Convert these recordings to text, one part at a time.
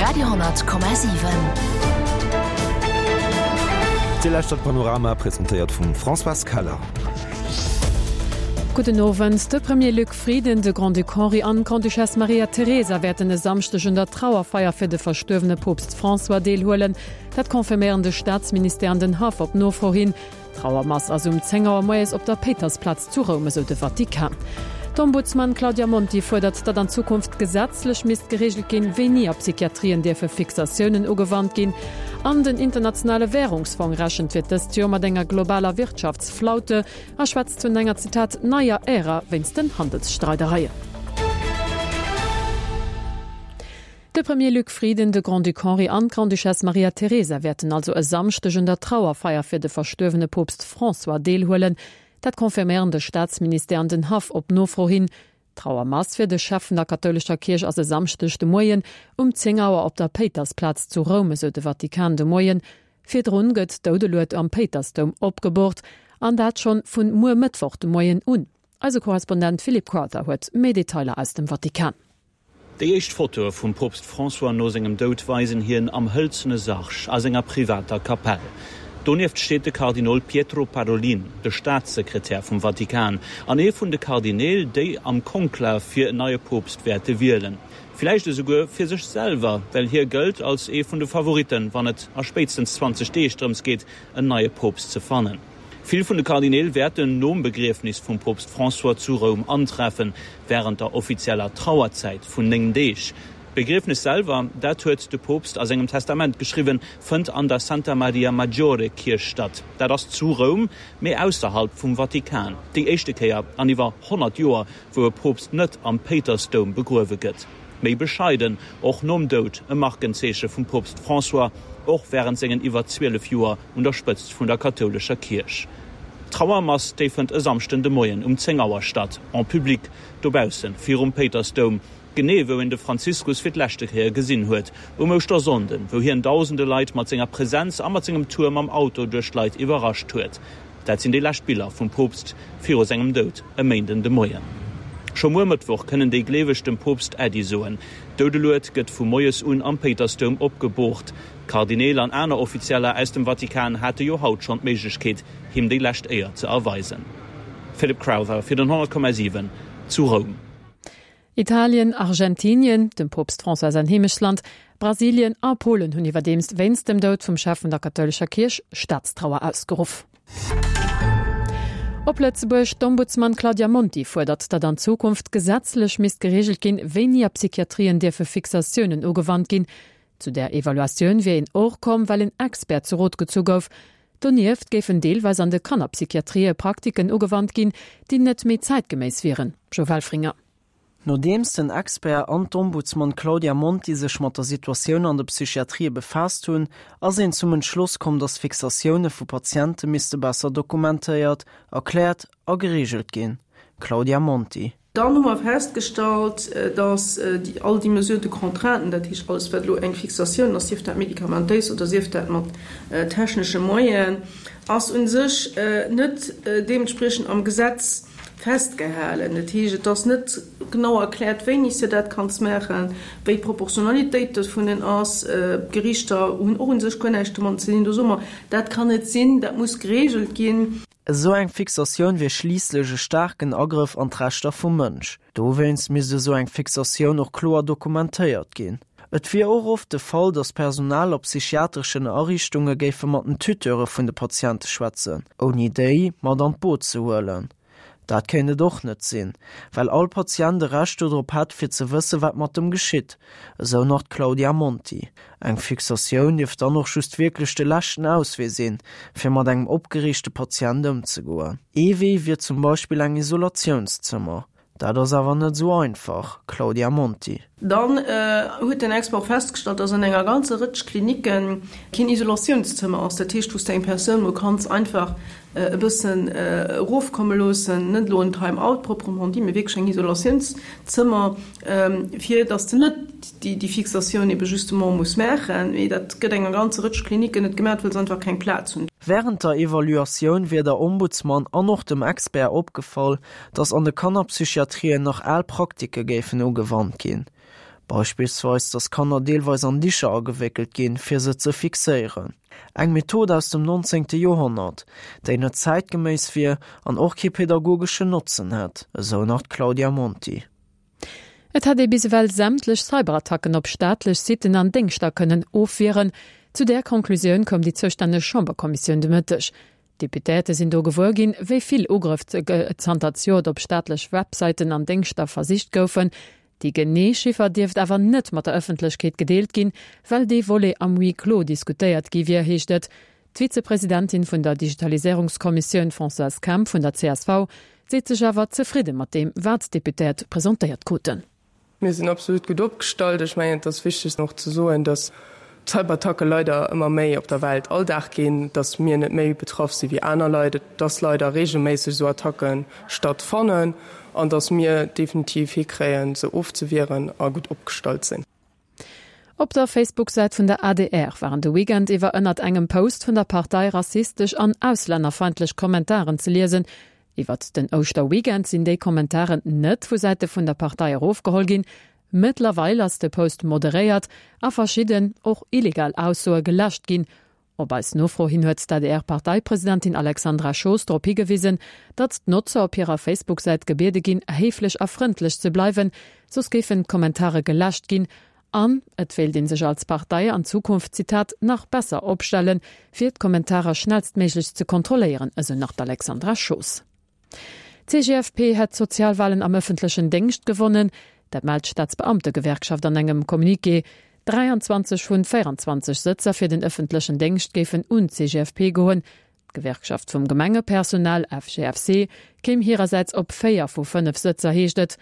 Radio,7. Dir lauschtert Panorama, presentéiert vum Françoise Keller. Gudden Owend. De Premier Luc Frieden, de Grand-Duc Henri an d'Grande-Duchesse Maria Teresa wäerten e Samschdeg un der Trauerfeier fir de verstuerwene Poopst François deelhuelen. Dat confirméieren de Staatsministère an den Haff op Nofro hin. D'Trauermass ass um 10 Auer moies op der Péitersplaz zu Roum, esou de Vatikan. D'Ombudsman Claudia Monti fuerdert, datt an Zukunft gesetzlech misst gereegelt ginn, wéini a Psychiatrien dierfe Fixatiounen ugewannt ginn. An den Internationale Wärungsfong rechent fir dëst Joer mat enger globaler Wirtschaftsflaute a schwätzt vun enger, Zitat, neier Ära wéinst den Handelsstreidereien. De Premier Luc Frieden, de Grand-Duc Henri an d'Grande-Duchesse Maria Teresa wäerten also e Samschdeg un der Trauerfeier fir de verstuerwene Poopst François deelhuelen. Dat confirméieren de Staatsministère an den Haff op Nofro hin. D'Trauermass fir de Chef vun der kathoulescher Kierch ass e Samschdeg de Moien um 10 Auer op der Péitersplaz zu Roum, esou de Vatikan de Moien. Virdrun gëtt d'Doudelued am Péitersdoum opgeboort, an dat schonn vun muer Mëttwoch de Moien un. Eise Korrespondent Philippe Crowther huet méi Detailer aus dem Vatikan. Déi éischt Fotoe vum Poopst François no sengem Doud weisen hien am hëlzene Sarg a senger privater Kapell. Donieft steet de Kardinol Pietro Parolin, de Staatssekretär vum Vatikan an ee vun de Kardineel, déi am Konklav fir en neie Poopst wäerte wielen. Villäicht esouguer fir sech selwer, well hie gëllt als ee vun de Favoritten, wann et a spéitstens 20 Deeg drëms geet, en neie Poopst ze fannen. Vill vun de Kardineel wäerten nom Begriefnis vum Poopst François zu Roum antreffen, wärend der offizieller Trauerzäit vun 9 Deeg. D'Begriefnes selwer, dat huet de Poopst a sengem Testament geschriwwen, fënnt an der Santa Maria Maggiore Kierch statt. Dat ass zu Roum, mee ausserhalb vum Vatikan. Déi éischte Kéier an iwwer 100 Joer, wou e Poopst net am Péitersdoum begruewe gëtt. Méi bescheiden, och nom Doud, e Markenzeeche vum Poopst François, och wärend sengen iwwer 12 Joer un der Spëtzt vun der kathoulescher Kierch. D'Trauermass, déi fënnt e Samschden de Moien um 10 Auer statt, en public, dobausse virum Péitersdoum, genee wou een de Franziskus fir d'leschte Kéier gesinn huet, um Ouschtersonnden, wou hien dausende Leit mat senger Presenz a mat sengem Tour mam Auto duerch d'Leit iwwerrascht huet. Dat sinn déi lescht Biller vum Poopst viru sengem Doud e Méinden de Moien. Scho muer Mëttwoch kënnen déi Gleeweg dem Poopst Äddi soen. D'Doudelued gëtt vu moies un am Péitersdoum opgeboort. D'Kardineel an aner Offizieller aus dem Vatikan hate jo haut schonn d'Méiglechkeet, him déi lescht Éier ze erweisen. Philip Crowther fir den 100,7 zu Roum. Italien, Argentinien, dem Poopst François säin Heemechtsland, Brasilien a Polen hunn iwwerdeems wéinst dem Doud vum Chef vun der kathoulescher Kierch Staatstrauer ausgeruff. Op Lëtzebuerg, D'Ombudsman Claudia Monti fuerdert, datt an Zukunft gesetzlech misst gereegelt ginn, wéini a Psychiatrien dierfe Fixatiounen ugewannt ginn. Zu där Evaluatioun wier een och komm, well en Expert zu Rot gezu gouf. Donieft géifen deelweis an de Kannerpsychiatrië Praktiken ugewannt ginn, déi net méi zäitgeméiss wieren. Joe Welfringer. Nodeems den Expert an d'Ombudsman Claudia Monti sech mat der Situatioun an de Psychiatrië befaasst hunn, ass een zum Entschloss komm, datt Fixatioune vu Patiente misste besser dokumentéiert, erkläert a gereegelt ginn. Claudia Monti. Dann hu mer festgestallt, dass all déi Mesures de contrainte, dat heescht alles, wat elo eng Fixatioun ass, sief dat medikamentéis oder sief dat mat technesche Moyenen, ass u sech net deementspriechend am Gesetz festgehalen. Dat heescht, et ass net genau erkläert, wéini s de dat kanns maachen, wéi d'Proportionalitéit dovunnen ass. D'Gerichter hunn och u sech guer näischt domadden ze dinn. Do soe mer, dat kann net sinn, dat muss geregelt ginn. Esou eng Fixatioun wier schliisslech e staarken Agrëff an d'Rechter vum Mënsch. Dowéinst misst esou eng Fixatioun och kloer dokumentéiert ginn. Et wier och oft de Fall, datt Personal a psychiatreschen Ariichtunge géife mat den Tuteure vun de Patiente schwätzen, ouni déi mat an d'Boot ze huelen. Dat kéint et och net sinn, well all Patient e Recht dodrop hätt, fir ze wësse wat mat em geschitt, esou nach d'Claudia Monti. Eng Fixatioun dierft dann och just wierklech de leschten Auswee sinn, fir mat engem opgereegte Patient ëmzegoen. Ee Wee wier zum Beispill eng Isolatiounszëmmer. Dat ass awer net esou einfach, Claudia Monti. Dann huet den Expert och festgestallt, dass an enger ganzer Rëtsch Klinicke keen Isolatiounszëmmer ass, dat heescht, wou s de eng Persoun mol kanns einfach e bëssen erofkomme loossen, net elo en Time-out proprement dit, mee wierklech eng Isolatiounszëmmer, fir dass de net déi Fixatioun ebe justement muss maachen. Mee dat gëtt enger ganzer Rëtsch Klinicken net gemaach, well se einfach keng Plaz hunn. Wärend der Evaluatioun wier der Ombudsman an och dem Expert opgefall, datt an de Kannerpsychiatrien nach al Praktike géifen ugewannt ginn. Beispillsweis, datt Kanner deelweis an Dicher agewéckelt ginn, fir se ze fixéieren. Eng Method aus dem nonzéngte Joerhonnert, déi net zäitgeméiss wier an och kee pedagogeschen Notzen hätt, esou nach d'Claudia Monti. Et hätt ee bis ewell sämtlech Cyberattacken op staatlech Sitten an Déngschter kënnen ofwieren. Zu där Conclusioun koum déi zoustänneg Chamberkommissioun de Mëtteg. D'Deputéierte sinn do gewuer ginn, wéi vill Ugrëff zanter zejoert op staatlech Websäiten an Déngschter versicht goufen. Déi genee Chiffer dierft awer net mat der Ëffentlechkeet gedeelt ginn, well dee Volet am Huis clos diskutéiert gi wier, heescht et. D'Vizepresidentin vun der Digitaliséierungskommissioun Françoise Kemp vun der csv seet sech awer zefridde mat deem, wat d'Deputéiert presentéiert kruten. Mir sinn absolut gutt opgestallt. Ech mengen, et ass wichteg och ze soen, datt d'Cyberattacke leider ëmmer méi op der Welt Alldag ginn, datt mir net méi betraff si wéi aner Leit, datt leider reegelméisseg esou Attacke stattfannen an datt mir definitiv hikréien, se ofzewieren a gutt opgestallt sinn. Op der Facebook-Säit vun der adr waren de Weekend iwwer ënnert engem Post vun der Partei rassistesch an auslännerfeindlech Kommentaren ze liesen. Iwwert den Ouschterweekend sinn déi Kommentaren net vu Säite vun der Partei erofgeholl ginn. Mëttlerweil ass de Post moderéiert a verschidden, och illegal Aussoe geläscht ginn. Op eis Nofro hin huet d'ADR-Parteipresidentin Alexandra Schoos drop higewisen, datt d'Notzer op hirer Facebook-Säit gebiede ginn, héiflech a frëndlech ze bleiwen, soss géifen d'Kommentare geläscht ginn. An et wéilt ee sech als Partei an Zukunft, Zitat, nach besser opstellen, fir d'Kommentarer schnellstméiglech ze kontrolléieren, esou nach d'Alexandra Schoos. D'CGFP hätt d'Sozialwalen am ëffentlechen Déngscht gewonnen. Dat mellt d'Staatsbeamtegewerkschaft an engem Communiqué. 23 vun 24 Sëtzer fir den ëffentlechen Déngscht géifen un d'CGFP goen. D'Gewerkschaft vum Gemengepersonal, FGFC, kéim hirersäits op 4 vu 5 Sëtzer, heescht et.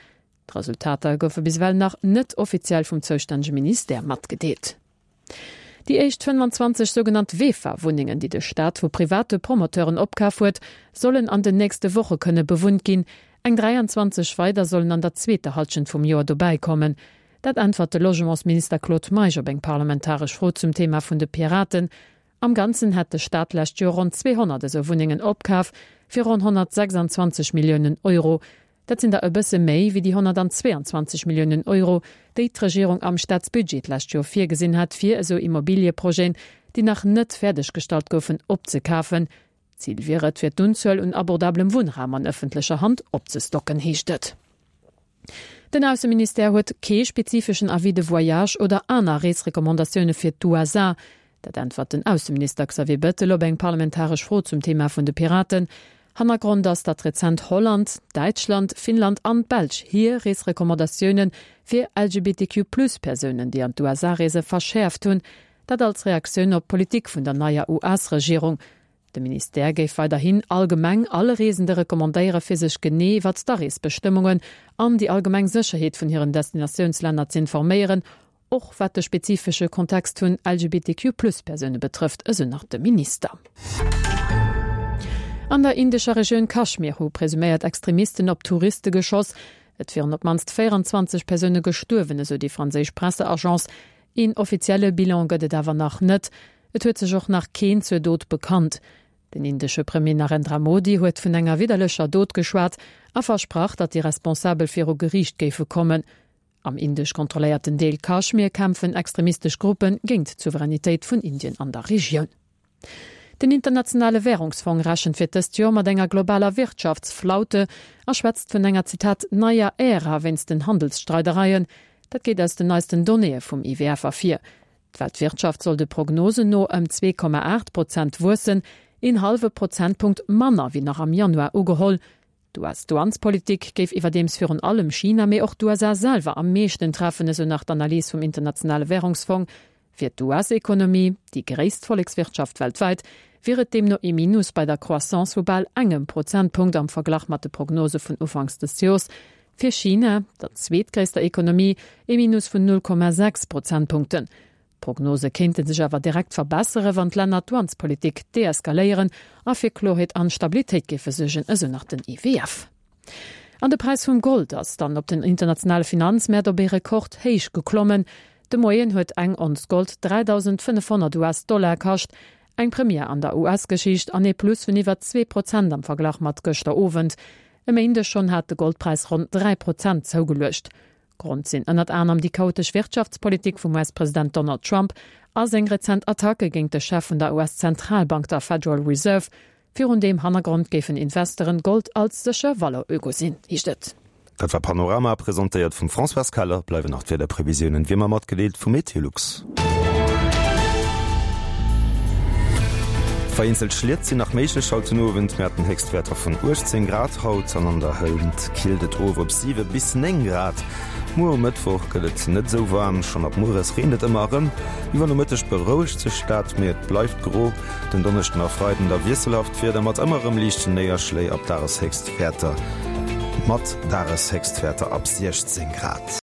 D'Resultater goufe bis ewell nach net offiziell vum zoustännege Ministère matgedeelt. Déi éischt 25 sougenannt VEFA-Wunnengen, déi de Staat vu private Promoteuren opkaf huet, sollen an den nächste Woche kënne bewunnt ginn. Eng 23 weider sollen an der zweeter Hallschent vum Joer dobäi kommen. Dat äntwert de Logementsminister Claude Meisch op eng parlamentaresch Fro zum Thema vun de Piraten. Am Ganzen hätt de Staat d'lescht Joer ronn 200 esou Wunnengen opkaf, fir ronn 126 Milliounen Euro. Dat sinn der e bësse méi wéi déi 122 Milliounen Euro, déi d'Regierung am Staatsbudget d'lescht Joer virgesinn hat, fir esou Immobilieprojeten, déi nach net fäerdeggestallt goufen, opzekafen. Zil wier et, fir d'Unzuel un abordablem Wunnraum an ëffentlecher Hand opzestocken, heescht et. Den Ausseministère huet kee spezifeschen Avis de voyage oder aner Reesrecommandatioune fir d'USA. Dat äntwert den Ausseminister Xavier Bettel op eng parlamentaresch Fro zum Thema vun de Piraten. Hannergrond ass, datt rezent Holland, Däitschland, Finnland an d'Belsch hir Reesrecommandatioune fir LGBTQ-Plus-Persounen, déi an d'USA reese verschäerft hunn. Dat als Reaktioun op d'Politik vun der neier US-Regierung. De Ministère géif weiderhin allgemeng alle Reesende recommandéiere fir sech genee iwwert d'Areesbestëmmungen an déi allgemeng Sécherheet vun hiren Destinatiounslänner z'informéieren, Och wat de spezifesche Kontext vun LGBTQ-Plus-Persoune betrëfft, esou nach de Minister. An der indescher Regioun Kaschmir hu presuméiert Extremisten op Touriste geschoss. Et wieren op d'mannst 24 Persoune gestuerwen, esou déi franséisch Presseagence. Een offizielle Bilan gëtt et awer nach net. Et huet sech och nach keen zur Dot bekannt. Den indesche Premier Narendra Modi huet vun enger widderlecher Dot geschwat a versprach, datt déi Responsabel viru Geriicht géife kommen. Am indesch kontrolléierten Deel Kaschmir kämpfen extremistesch Gruppe géint d'Souveränitéit vun Indien an der Regioun. Den Internationale Wärungsfong rechent fir dëst Joer mat enger globaler Wirtschaftsflaute a schwätzt vun enger, Zitat, neier Ära wéinst den Handelsstreidereien. Dat geet aus den neisten Donnéeë vum IWF ervir. D'Weltwirtschaft soll de Prognosen no ëm 2,8 Prozent wuessen, een hallwe Prozentpunkt manner wéi nach am Januar ugeholl. D'US-Douanespolitik géif iwwerdeems virun allem China, mee och d'USA selwer am meeschten treffen, esou nach d'Analys vum Internationale Wärungsfong. Fir d'US-Ekonomie, déi gréisst Vollekswirtschaft weltwäit, wier et deemno ee Minus bei der Croissance vu bal engem Prozentpunkt am Verglach mat de Prognose vun ufanks des Jors. Fir China, der zweetgréisster Ekonomie, ee Minus vun 0,6 Prozentpunkten. D'Prognose kéinte sech awer direkt verbessere wann d'Länner d'Douanespolitik deeskaléieren a fir Kloerheet an Stabilitéit géife suergen, esou nach den IWF. An de Präis vum Gold ass dann op den internationale Finanzmäert op ee Rekordhéich geklommen. De Moien huet eng Onz Gold 3.500 US-Dollar kascht, eng Première an der US-Geschicht an ee Plus vun iwwer 2 Prozent am Verglach mat gëschter Owend. E Méindeg schonn hat de Goldpräis ronn 3 Prozent zougeluecht. Grond sinn ënnert anerem déi chaotesch Wirtschaftspolitik vum US-President Donald Trump a seng rezent Attacke géint de Chef vun der US-Zentralbank, der Federal Reserve. Virun deem Hannergrond géifen Investeuren Gold als sécher Valeur ugesinn, heescht et. Dat war Panorama, presentéiert vum Françoise Keller. Bleiwen nach d'Wiederprevisiounen, wéi ëmmer matgedeelt vu Meteolux. Vereenzelt Schliet sinn nach méiglech haut den Owend. Mir haten Héchstwäerter vun 18 Grad haut an an der Hënt killt et of op 7 bis 9 Grad. Muer um Mëttwoch gëtt et net esou waarm, schonn ab mueres reent et ëmmer erëm. Iwwer Nomëtteg berouegt sech dat, mee et bleift gro. Den Donneschden a Freiden da wiesselhaft Wieder mat ëmmer erëm liichten Néierschléi ab Dageshéchstwäerter mat Dageshéchstwäerter ab 16 Grad.